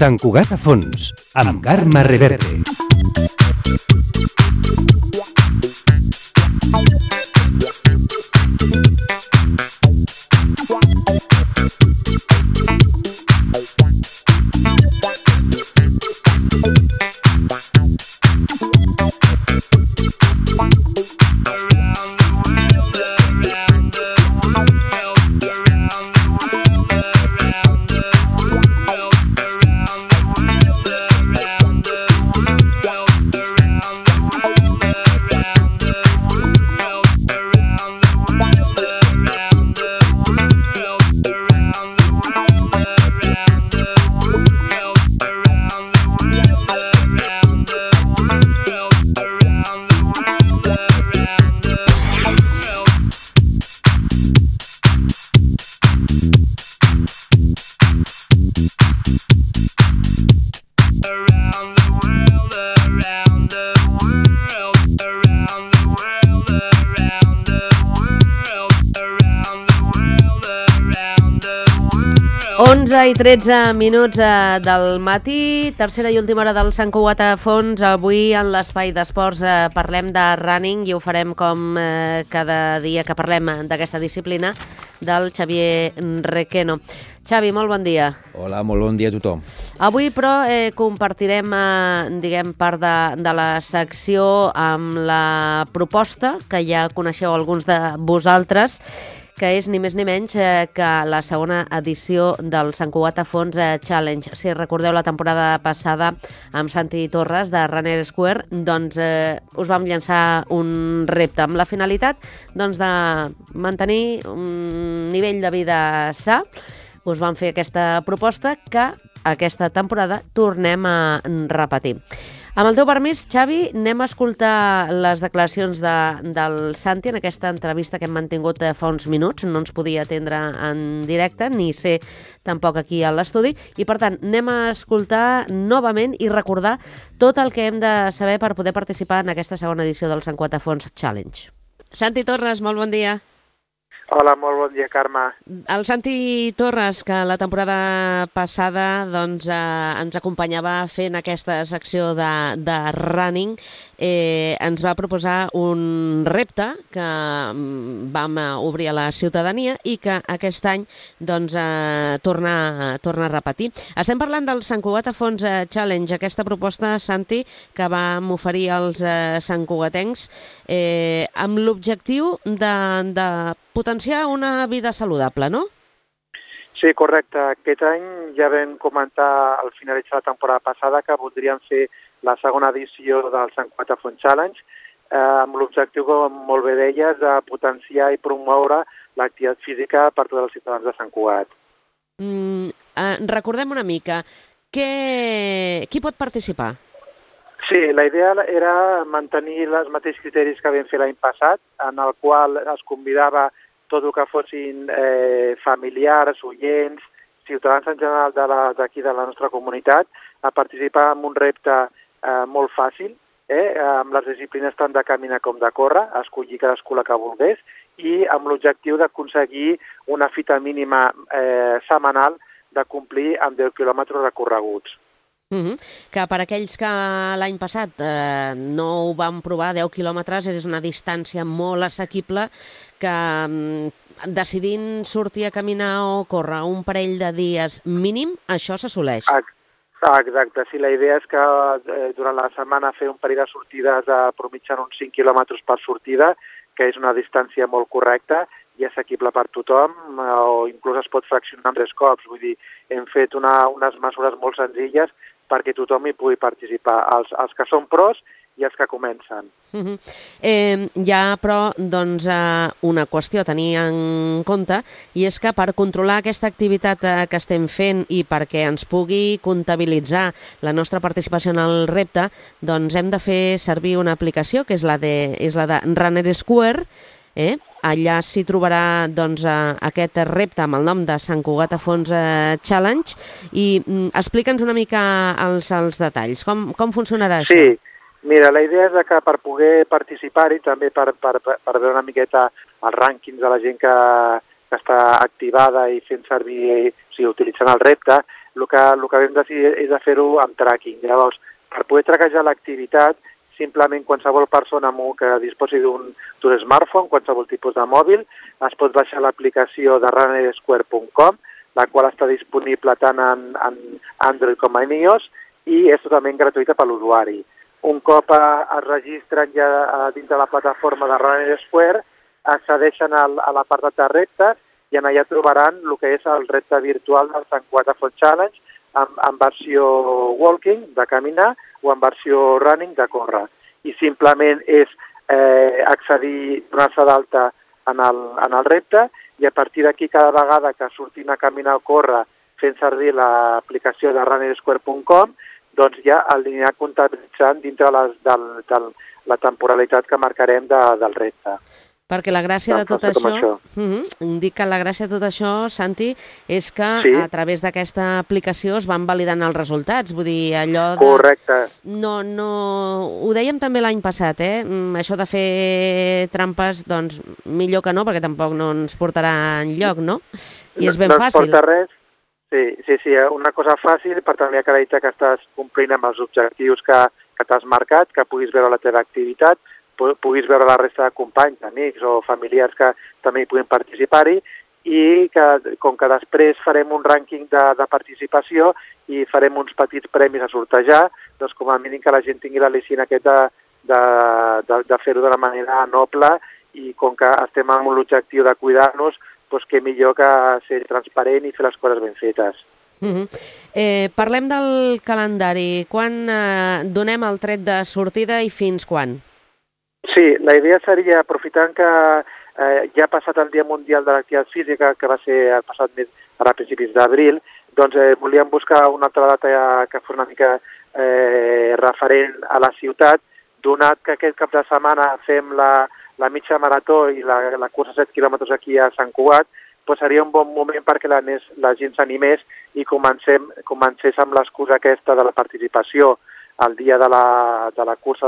Sant Cugat a fons, amb Carme Reverte. I 13 minuts del matí, tercera i última hora del Sant Cugat a fons. Avui en l'espai d'esports parlem de running i ho farem com cada dia que parlem d'aquesta disciplina del Xavier Requeno. Xavi, molt bon dia. Hola, molt bon dia a tothom. Avui, però, compartirem, part de la secció amb la proposta que ja coneixeu alguns de vosaltres, que és ni més ni menys que la segona edició del Sant Cugat a fons Challenge. Si recordeu la temporada passada amb Santi Torres de Runner Square, doncs us vam llançar un repte amb la finalitat de mantenir un nivell de vida sa. Us vam fer aquesta proposta que aquesta temporada tornem a repetir. Amb el teu permís, Xavi, anem a escoltar les declaracions del Santi en aquesta entrevista que hem mantingut fa uns minuts. No ens podia atendre en directe, ni ser tampoc aquí a l'estudi, i per tant anem a escoltar novament i recordar tot el que hem de saber per poder participar en aquesta segona edició del Sant Cugat a fons Challenge. Santi Torres, molt bon dia. Hola, molt bon dia, Carme. El Santi Torres, que la temporada passada ens acompanyava fent aquesta secció de running, ens va proposar un repte que vam obrir a la ciutadania i que aquest any torna a repetir. Estem parlant del Sant Cugat a fons Challenge, aquesta proposta, Santi, que vam oferir als santcugatencs amb l'objectiu de potenciar una vida saludable, no? Sí, correcte. Aquest any ja vam comentar al finalitzar la temporada passada que voldríem fer la segona edició del Sant Cugat a fons Challenge amb l'objectiu, com molt bé deies, de potenciar i promoure l'activitat física per tots els ciutadans de Sant Cugat. Recordem una mica, qui pot participar? Sí, la idea era mantenir els mateixos criteris que vam fer l'any passat, en el qual es convidava tot el que fossin familiars, oients, ciutadans en general d'aquí de la nostra comunitat, a participar en un repte molt fàcil, amb les disciplines tant de caminar com de córrer, escollir cadascú la que volgués, i amb l'objectiu d'aconseguir una fita mínima setmanal de complir amb 10 quilòmetres recorreguts. Que per aquells que l'any passat no ho van provar, 10 quilòmetres és una distància molt assequible que decidint sortir a caminar o córrer un parell de dies mínim, això s'assoleix. Exacte, sí, la idea és que durant la setmana fer un parell de sortides mitjançant uns 5 quilòmetres per sortida, que és una distància molt correcta i assequible per tothom, o inclús es pot fraccionar en 3 cops. Vull dir, hem fet unes mesures molt senzilles perquè tothom hi pugui participar, els que són pros i els que comencen. Hi ha, però, una qüestió a tenir en compte, i és que per controlar aquesta activitat que estem fent i perquè ens pugui comptabilitzar la nostra participació en el repte, doncs hem de fer servir una aplicació que és la de Runner Square. Allà s'hi trobarà aquest repte amb el nom de Sant Cugat a fons Challenge, i explica'ns una mica els detalls. Com funcionarà això? Sí, mira, la idea és que per poder participar-hi, també per veure una miqueta els rànquings de la gent que està activada i fent servir, utilitzant el repte, el que vam decidir és de fer-ho amb tracking. Llavors, per poder trackejar l'activitat, simplement qualsevol persona que disposi d'un smartphone, qualsevol tipus de mòbil, es pot baixar l'aplicació de runnersquare.com, la qual està disponible tant en Android com en iOS i és totalment gratuïta per l'usuari. Un cop es registren ja dins de la plataforma de Runner Square, accedeixen a l'apartat de reptes i allà trobaran el que és el repte virtual del Sant Cugat Font Challenge en versió walking, de caminar, o en versió running, de córrer. I simplement és accedir, donar-se d'alta en el repte i a partir d'aquí cada vegada que surtin a caminar o córrer fent servir l'aplicació de runnersquare.com, doncs ja l'anirà comptabilitzant dintre de la temporalitat que marcarem del repte. Perquè la gràcia de tot això, dic que la gràcia de tot això, Santi, és que a través d'aquesta aplicació es van validant els resultats. Vull dir, allò de... Correcte. No, ho dèiem també l'any passat, això de fer trampes, doncs millor que no, perquè tampoc no ens portarà enlloc, no? I és ben fàcil. No ens porta res. Sí, una cosa fàcil per tenir acreditar que estàs complint amb els objectius que t'has marcat, que puguis veure la teva activitat, puguis veure la resta de companys, amics o familiars que també hi puguin participar-hi i que, com que després farem un rànquing de participació i farem uns petits premis a sortejar, doncs com a mínim que la gent tingui l'al·licient aquest de fer-ho de la manera noble i com que estem amb l'objectiu de cuidar-nos, doncs què millor que ser transparent i fer les coses ben fetes. Parlem del calendari. Quan donem el tret de sortida i fins quan? Sí, la idea seria, aprofitant que ja ha passat el Dia Mundial de l'Activitat Física, que va ser el passat mes, a principis d'abril, doncs volíem buscar una altra data que fos una mica referent a la ciutat, donat que aquest cap de setmana fem la mitja marató i la cursa 7 quilòmetres aquí a Sant Cugat, doncs seria un bon moment perquè la gent s'animés i comencés amb l'excusa aquesta de la participació el dia de la cursa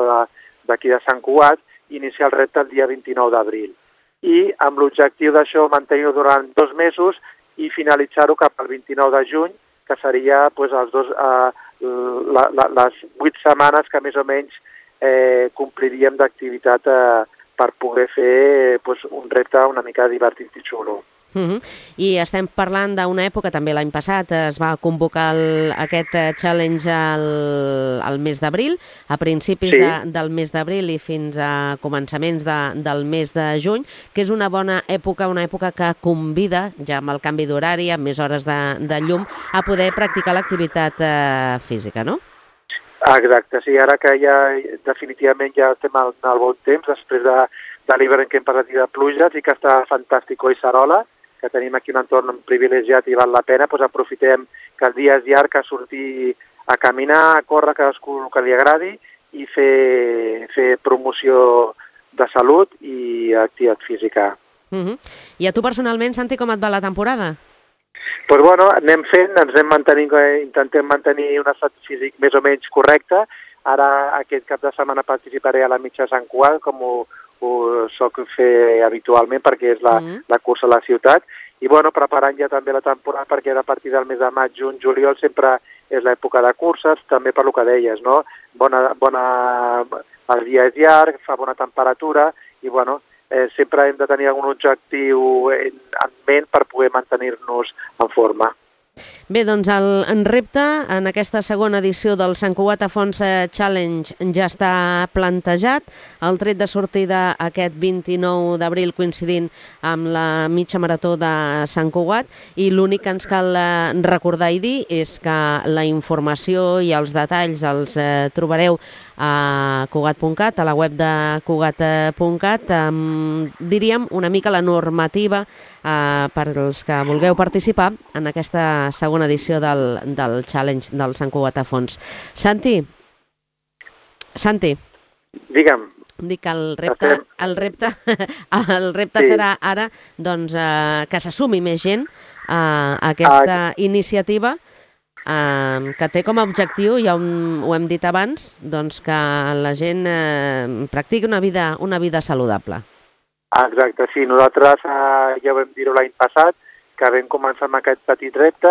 d'aquí de Sant Cugat, iniciar el repte el dia 29 d'abril. I amb l'objectiu d'això mantenir-ho durant 2 mesos i finalitzar-ho cap al 29 de juny, que seria les 8 setmanes que més o menys compliríem d'activitat per poder fer un repte una mica divertit i xulo. I estem parlant d'una època, també l'any passat es va convocar aquest challenge al mes d'abril, a principis del mes d'abril i fins a començaments del mes de juny, que és una bona època, una època que convida, ja amb el canvi d'horari, amb més hores de llum, a poder practicar l'activitat física, no? Exacte, sí, ara que ja definitivament ja estem al bon temps, després de l'hivern que hem passat i de pluges i que està fantàstic Collserola, que tenim aquí un entorn privilegiat i val la pena, doncs aprofitem que el dia és llarg, a sortir a caminar, a córrer, cadascú el que li agradi i fer promoció de salut i activitat física. I a tu personalment, Santi, com et va la temporada? Doncs bueno, anem fent, intentem mantenir un estat físic més o menys correcte. Ara aquest cap de setmana participaré a la mitja Sant Cugat, com ho soc fer habitualment perquè és la cursa a la ciutat i bueno, preparant ja també la temporada perquè a partir del mes de maig, juny, juliol sempre és l'època de curses, també per lo que deies, no? El dia és llarg, fa bona temperatura i bueno, sempre hem de tenir algun objectiu en ment per poder mantenir-nos en forma. Bé, doncs el repte en aquesta segona edició del Sant Cugat Fons Challenge ja està plantejat. El tret de sortida aquest 29 d'abril coincidint amb la mitja marató de Sant Cugat i l'únic que ens cal recordar i dir és que la informació i els detalls els trobareu a Cugat.cat, a la web de Cugat.cat, diríem una mica la normativa per als que vulgueu participar en aquesta segona edició del Challenge del Sant Cugat Fons. Santi? Digue'm. Dic que el repte serà ara doncs, que s'assumi més gent a aquesta iniciativa que té com a objectiu, ja ho hem dit abans, doncs que la gent practiqui una vida saludable. Exacte, sí. Nosaltres ja vam dir-ho l'any passat, que vam començar amb aquest petit repte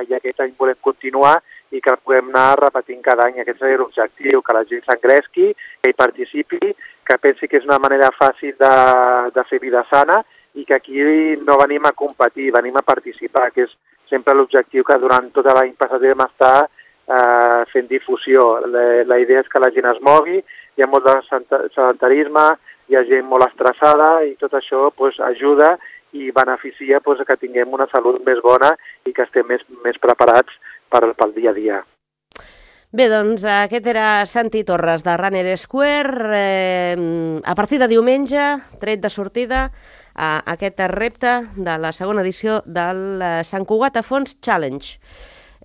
i aquest any volem continuar i que el puguem anar repetint cada any. Aquest seria l'objectiu, que la gent s'engresqui, que hi participi, que pensi que és una manera fàcil de fer vida sana i que aquí no venim a competir, venim a participar, que és sempre l'objectiu que durant tot l'any passat vam estar fent difusió. La idea és que la gent es mogui, hi ha molt de sedentarisme, hi ha gent molt estressada i tot això ajuda i beneficia que tinguem una salut més bona i que estem més preparats pel dia a dia. Bé, doncs aquest era Santi Torres de Runner Square. A partir de diumenge, tret de sortida, aquest repte de la segona edició del Sant Cugat a Fons Challenge.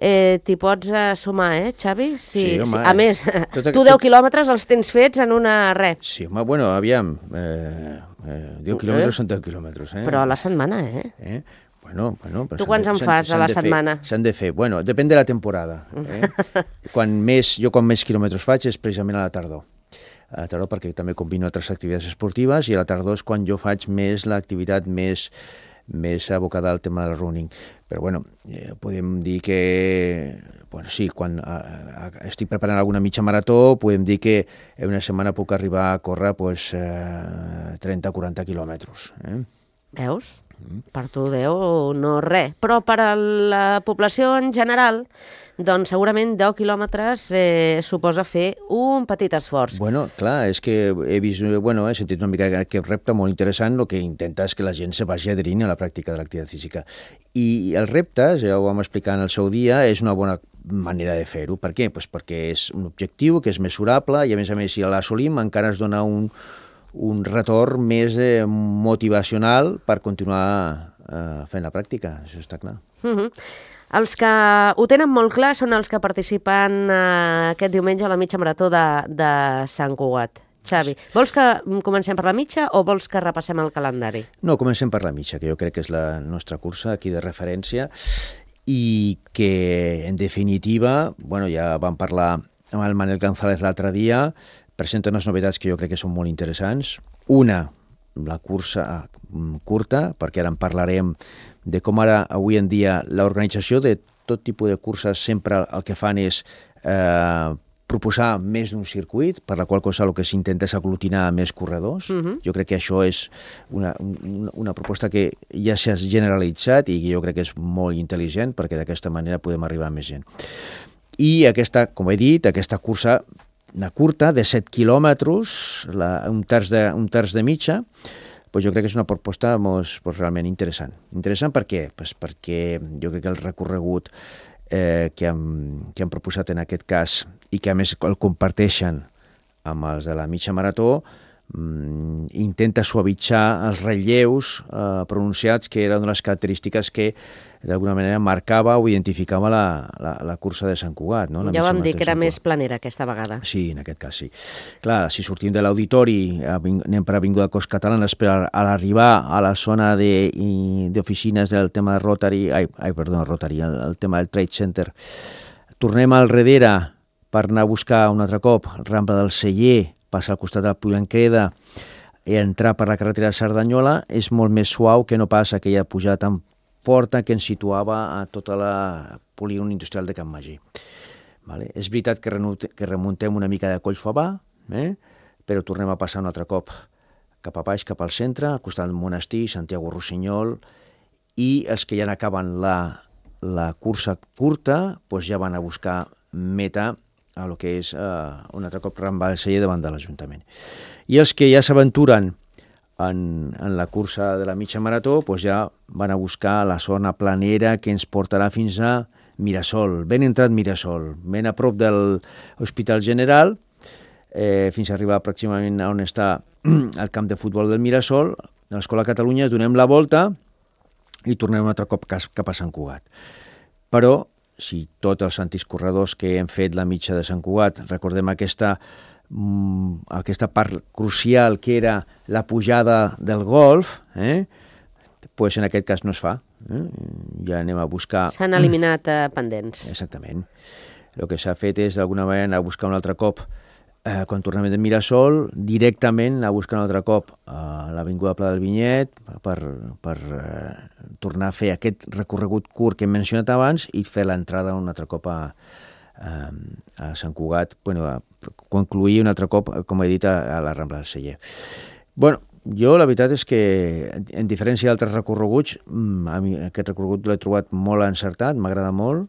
T'hi pots sumar, Xavi? Sí, home. A més, tu 10 quilòmetres els tens fets en una res. Sí, home, bueno, aviam, 10 quilòmetres són 10 quilòmetres, Però a la setmana, Bueno, però tu quants en fas a la setmana? S'han de fer. Bueno, depèn de la temporada. Quan més quilòmetres faig és precisament a la tardor. A la tardor perquè també combino altres activitats esportives i a la tardor és quan jo faig més l'activitat més abocada al tema del running. Però bueno, podem dir que, sí, quan estic preparant alguna mitja marató, podem dir que en una setmana puc arribar a córrer 30 o 40 quilòmetres. Veus? Per tu 10 no res, però per a la població en general, doncs segurament 10 quilòmetres suposa fer un petit esforç. Bueno, clar, és que he sentit una mica aquest repte molt interessant, el que intenta és que la gent se vagi adherint a la pràctica de l'activitat física. I el repte, ja ho vam explicar en el seu dia, és una bona manera de fer-ho. Per què? Pues perquè és un objectiu que és mesurable i a més, si l'assolim encara es dona un retorn més motivacional per continuar fent la pràctica, això està clar. Els que ho tenen molt clar són els que participen aquest diumenge a la mitja marató de Sant Cugat. Xavi, vols que comencem per la mitja o vols que repassem el calendari? No, comencem per la mitja, que jo crec que és la nostra cursa aquí de referència i que, en definitiva, ja vam parlar amb el Manel González l'altre dia, presenta unes novetats que jo crec que són molt interessants. Una, la cursa curta, perquè ara en parlarem de com ara, avui en dia, l'organització de tot tipus de curses sempre el que fan és proposar més d'un circuit, per la qual cosa el que s'intenta és aglutinar més corredors. Jo crec que això és una proposta que ja s'ha generalitzat i jo crec que és molt intel·ligent perquè d'aquesta manera podem arribar a més gent. I aquesta, com he dit, aquesta cursa una curta de 7 quilòmetres, un terç de mitja, jo crec que és una proposta realment interessant. Interessant per què? Perquè jo crec que el recorregut que han proposat en aquest cas i que a més el comparteixen amb els de la mitja marató, intenta suavitzar els relleus pronunciats, que era una de les característiques que d'alguna manera marcava o identificava la cursa de Sant Cugat. No? Ja vam dir que era més planera aquesta vegada. Sí, en aquest cas sí. Clar, si sortim de l'auditori, anem per Avinguda Cost Catalana, però a l'arribar a la zona d'oficines del tema de Rotary, el tema del Trade Center, tornem al darrere per anar a buscar un altre cop Rambla del Celler, passar al costat del Puiglancreda i entrar per la carretera de Cerdanyola, és molt més suau que no pas aquella pujada tan forta que ens situava a tota la polígon industrial de Can Magí. És veritat que remuntem una mica de Collfabà, però tornem a passar un altre cop cap a baix, cap al centre, al costat del monestir, Santiago Rossinyol, i els que ja n'acaben la cursa curta ja van a buscar meta a lo que és un altre cop Rambla del Celler davant de l'Ajuntament. I els que ja s'aventuren en la cursa de la mitja marató, ja van a buscar la zona planera que ens portarà fins a Mirasol, ben entrat Mirasol, ben a prop de l'Hospital General, fins a arribar aproximadament on està el camp de futbol del Mirasol, de l'Escola Catalunya, donem la volta i tornem un altre cop cap a Sant Cugat. Però, si tots els antics corredors que hem fet la mitja de Sant Cugat, recordem aquesta part crucial que era la pujada del golf, pues en aquest cas no es fa. Ja anem a buscar... S'han eliminat pendents. Exactament. El que s'ha fet és d'alguna manera anar a buscar un altre cop quan tornem de Mirasol, directament anar a buscar un altre cop a l'Avinguda Pla del Vinyet per tornar a fer aquest recorregut curt que hem mencionat abans i fer l'entrada un altre cop a Sant Cugat, a concluir un altre cop, com he dit, a la Rambla del Celler. Jo la veritat és que, en diferència d'altres recorreguts, a mi aquest recorregut l'he trobat molt encertat, m'agrada molt,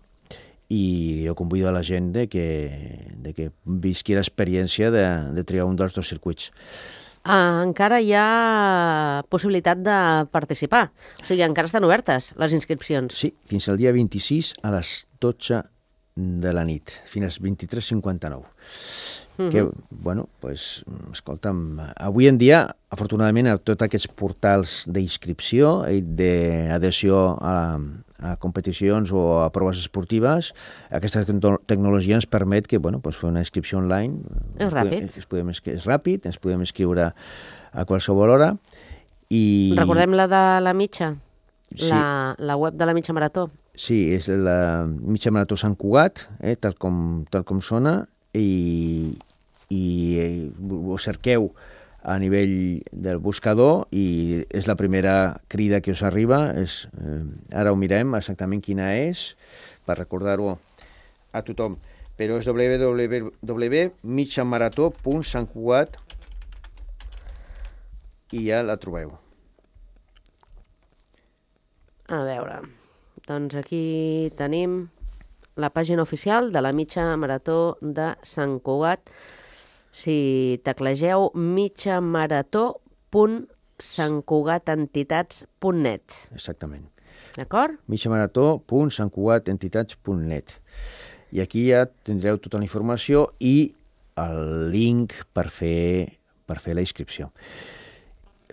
i jo convido a la gent de que visqui l'experiència de triar un dels dos circuits. Encara hi ha possibilitat de participar, o sigui, encara estan obertes les inscripcions. Sí, fins al dia 26 a les 12 de la nit, fins als 23:59. Que, escolta'm, avui en dia, afortunadament, a tots aquests portals d'inscripció i d'adhesió a competicions o a proves esportives, aquesta tecnologia ens permet que, fer una inscripció online. És ràpid. És ràpid, ens podem inscriure a qualsevol hora. Recordem la de la mitja? Sí. La web de la mitja marató? Sí, és la mitja marató Sant Cugat, tal com sona, i ho cerqueu a nivell del buscador i és la primera crida que us arriba. Ara ho mirem exactament quina és, per recordar-ho a tothom, però és www.mitjamarató.santcugat i ja la trobeu. A veure, doncs aquí tenim la pàgina oficial de la mitja marató de Sant Cugat. Si teclegeu mitjamarató.santcugatentitats.net. Exactament. D'acord? mitjamarató.santcugatentitats.net. I aquí ja tindreu tota la informació i el link per fer la inscripció.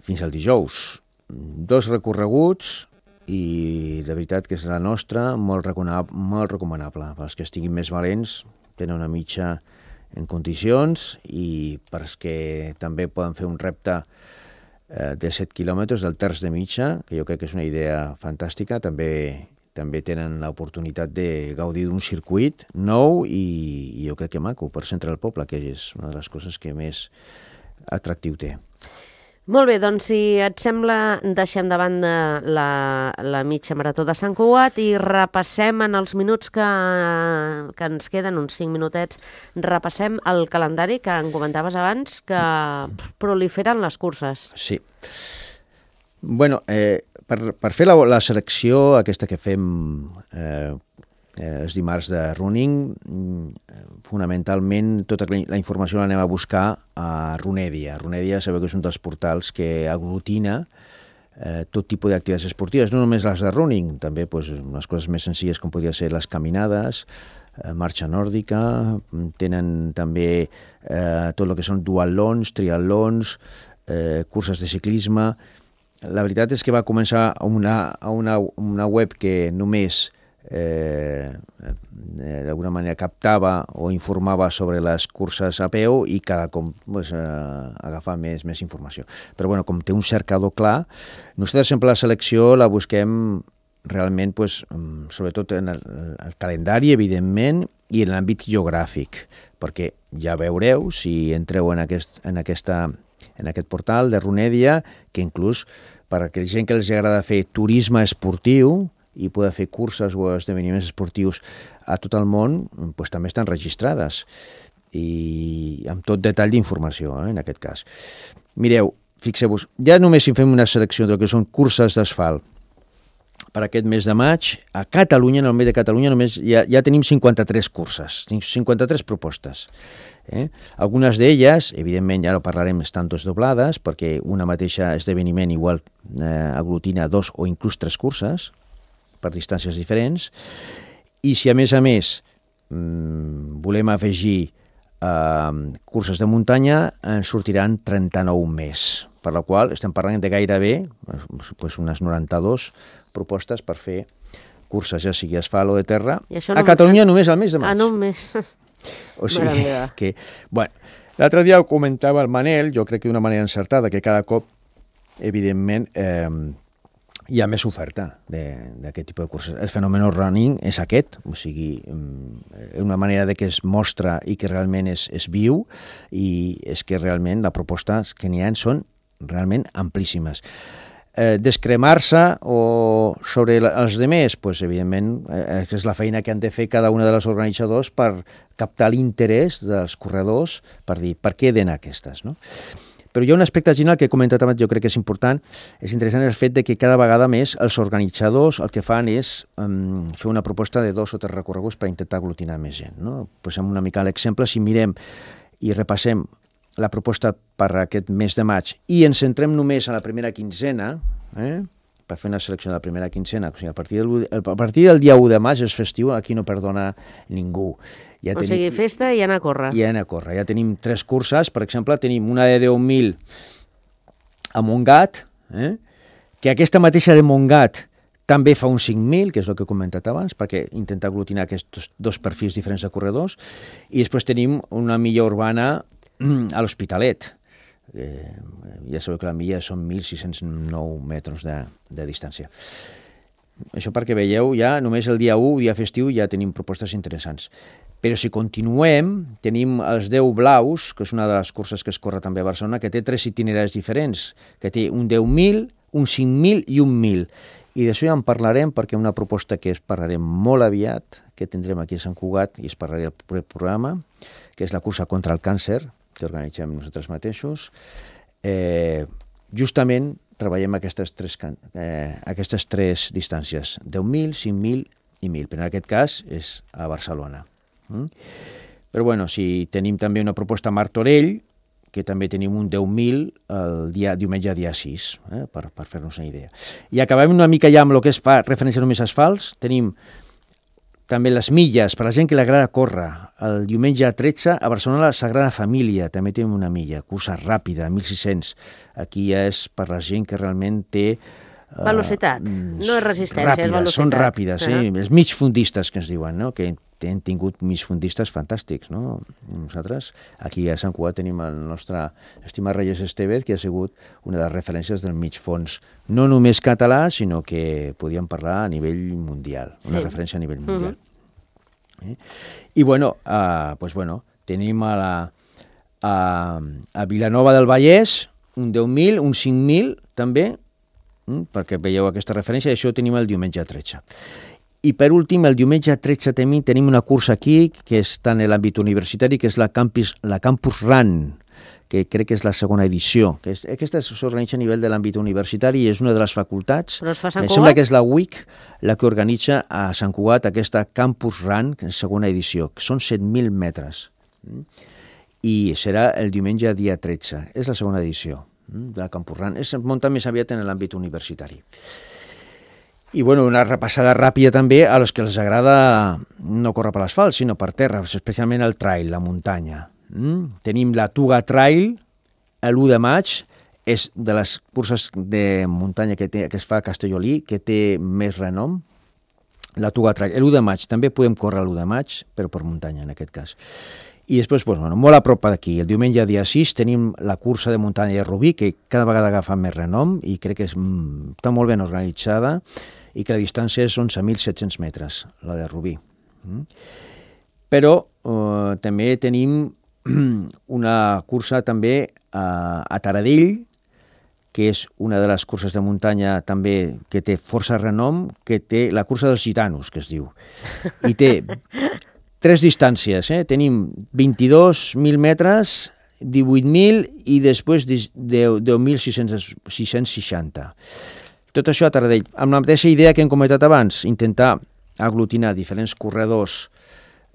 Fins al dijous. 2 recorreguts i de veritat que és la nostra molt recomanable. Per als que estiguin més valents, tenen una mitja en condicions i per als que també poden fer un repte de 7 quilòmetres del terç de mitja, que jo crec que és una idea fantàstica, també tenen l'oportunitat de gaudir d'un circuit nou i jo crec que maco per centre del poble, que és una de les coses que més atractiu té. Molt bé, doncs si et sembla deixem de banda la mitja marató de Sant Cugat i repassem en els minuts que ens queden, uns 5 minutets, repassem el calendari que em comentaves abans, que proliferen les curses. Sí. Per fer la selecció aquesta que fem els dimarts de running, fonamentalment tota la informació l'anem a buscar a Runedia. Runedia sabeu que és un dels portals que aglutina tot tipus d'activitats esportives, no només les de running, també unes coses més senzilles com podria ser les caminades, marxa nòrdica, tenen també tot el que són duatlons, triatlons, curses de ciclisme. La veritat és que va començar una web que només d'alguna manera captava o informava sobre les curses a peu i cada cop agafar més informació. Però com té un cercador clar, nosaltres sempre la selecció la busquem realment sobretot en el calendari, evidentment, i en l'àmbit geogràfic, perquè ja veureu, si entreu en aquest portal de Runedia, que inclús per a aquella gent que els agrada fer turisme esportiu i poder fer curses o esdeveniments esportius a tot el món, també estan registrades i amb tot detall d'informació, en aquest cas. Mireu, fixeu-vos, ja només si fem una selecció del que són curses d'asfalt per aquest mes de maig, a Catalunya, en el mes de Catalunya, només ja tenim 53 curses, 53 propostes. Algunes d'elles, evidentment, ja no parlarem, estan desdoblades, perquè una mateixa esdeveniment igual aglutina 2 o inclús 3 curses, per distàncies diferents, i si a més volem afegir curses de muntanya, en sortiran 39 més, per la qual estem parlant de gairebé unes 92 propostes per fer curses, ja sigui asfalt o de terra, a Catalunya només al mes de maig. Un mes. O sigui que, l'altre dia ho comentava el Manel, jo crec que d'una manera encertada, que cada cop, evidentment, hi ha més oferta d'aquest tipus de curses. El fenomen running és aquest, o sigui, una manera de que es mostra i que realment és viu, i és que realment les propostes que n'hi ha són realment amplíssimes. Descremar-se o sobre els demés, pues, evidentment, és la feina que han de fer cada una de les organitzadors per captar l'interès dels corredors, per dir, per què d'anar aquestes, no? Però hi ha un aspecte general que he comentat abans, jo crec que és important, és interessant el fet de que cada vegada més els organitzadors el que fan és fer una proposta de 2 o 3 recorreguts per intentar aglutinar més gent, no? Posem una mica l'exemple, si mirem i repassem la proposta per aquest mes de maig i ens centrem només a la primera quinzena, per fer una selecció de la primera quinzena, o sigui, a partir del dia 1 de maig és festiu, aquí no perdona ningú. Ja o sigui, festa i anar a córrer. I anar a córrer. Ja tenim 3 curses, per exemple, tenim una de 10.000 a Montgat, que aquesta mateixa de Montgat també fa uns 5.000, que és el que he comentat abans, perquè intenta aglutinar aquests 2 perfils diferents de corredors, i després tenim una milla urbana a l'Hospitalet. Ja sabeu que la milla són 1.609 metres de distància. Això perquè veieu, ja només el dia 1, dia festiu, ja tenim propostes interessants. Però si continuem, tenim els 10 blaus, que és una de les curses que es corre també a Barcelona, que té 3 itineraris diferents, que té un 10.000, un 5.000 i un 1.000. I d'això ja en parlarem, perquè una proposta que es parlarem molt aviat, que tindrem aquí a Sant Cugat, i es parlarà al proper programa, que és la cursa contra el càncer, que organitzem nosaltres mateixos. Justament treballem aquestes tres distàncies, 10.000, 5.000 i 1.000, però en aquest cas és a Barcelona. Però bueno, si tenim també una proposta a Martorell, que també tenim un 10.000 el diumenge dia 6, per fer-nos una idea. I acabem una mica ja amb el que es fa referència només a asfalts. Tenim també les milles, per la gent que li agrada córrer. El diumenge 13 a Barcelona la Sagrada Família també tenim una milla, cursa ràpida, 1.600. Aquí ja és per la gent que realment té... velocitat, no és resistència, ràpides, és velocitat. Són ràpides, els migfundistes que es diuen, no? Que hem tingut migfundistes fantàstics, no? Nosaltres, aquí a Sant Cugat tenim el nostre estimat Reyes Estevez, que ha sigut una de les referències del migfons, no només català, sinó que podíem parlar a nivell mundial, una referència a nivell mundial. I bueno, tenim a Vilanova del Vallès un 10.000, un 5.000 també, perquè veieu aquesta referència, i això ho tenim el diumenge 13. I per últim, el diumenge 13 tenim una cursa aquí, que està en l'àmbit universitari, que és la Campus Run, que crec que és la segona edició. Aquesta s'organitza a nivell de l'àmbit universitari i és una de les facultats. Però es fa a Sant Cugat? Cugat? Sembla que és la UIC la que organitza a Sant Cugat aquesta Campus Run, que és segona edició, que són 7.000 metres. I serà el diumenge dia 13. És la segona edició de la Campus Run. Es munta més aviat en l'àmbit universitari. I bueno, una repassada ràpida també a los que els agrada no córrer per l'asfalt, sinó per terra, especialment el trail, la muntanya. Tenim la Tuga Trail, l'1 de maig, és de les curses de muntanya que es fa a Castellolí, que té més renom, la Tuga Trail. L'1 de maig, també podem córrer l'1 de maig, però per muntanya en aquest cas. I després, molt a prop d'aquí, el diumenge dia 6 tenim la cursa de muntanya de Rubí, que cada vegada agafa més renom i crec que està molt ben organitzada i que la distància és 11.700 metres, la de Rubí. Però també tenim una cursa també a Taradell, que és una de les curses de muntanya també que té força renom, que té la cursa dels gitanos, que es diu. I té 3 distàncies, tenim 22.000 metres, 18.000 i després 10.660. Tot això a Taradell. Amb la mateixa idea que hem comentat abans, intentar aglutinar diferents corredors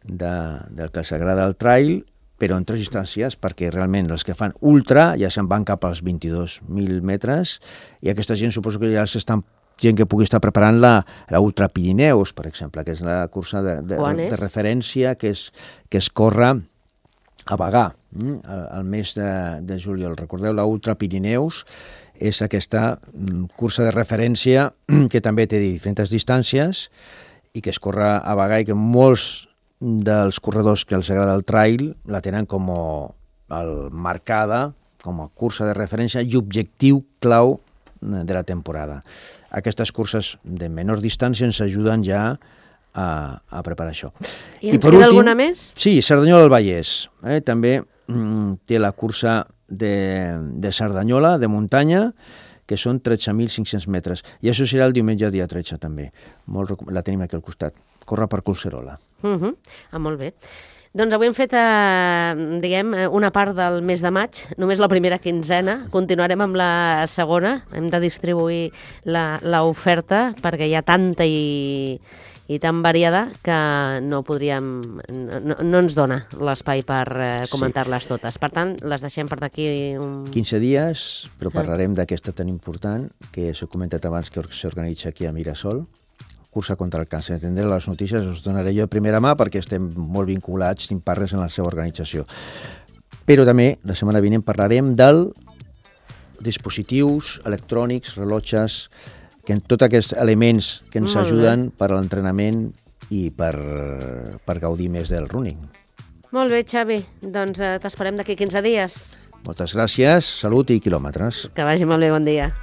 del que s'agrada el trail, però en 3 distàncies, perquè realment els que fan ultra ja se'n van cap als 22.000 metres i aquesta gent suposo que ja s'estan gent que pugui estar preparant la Ultra Pirineus, per exemple, que és la cursa de referència que es corre a Bagà al mes de juliol. Recordeu, la Ultra Pirineus és aquesta cursa de referència que també té diferents distàncies i que es corre a Bagà i que molts dels corredors que els agrada el trail la tenen com marcada com a cursa de referència i objectiu clau de la temporada. Aquestes curses de menor distància ens ajuden ja a preparar això. I ens queda alguna més? Sí, Cerdanyola del Vallès. També té la cursa de Cerdanyola, de muntanya, que són 13.500 metres. I això serà el diumenge dia 13 també. La tenim aquí al costat. Corre per Collserola. Molt bé. Doncs avui hem fet, una part del mes de maig, només la primera quinzena. Continuarem amb la segona. Hem de distribuir l'oferta perquè hi ha tanta i tan variada que no ens dona l'espai per comentar-les totes. Per tant, les deixem per d'aquí 15 dies, però parlarem d'aquesta tan important que s'ha comentat abans que s'organitza aquí a Mirasol, cursa contra el càncer. Tindré les notícies, us donaré jo de primera mà perquè estem molt vinculats, tinc partners en la seva organització. Però també, la setmana vinent, parlarem dels dispositius electrònics, rellotges, que tots aquests elements que ens ajuden per a l'entrenament i per gaudir més del running. Molt bé, Xavi. Doncs t'esperem d'aquí 15 dies. Moltes gràcies, salut i quilòmetres. Que vagi molt bé, bon dia.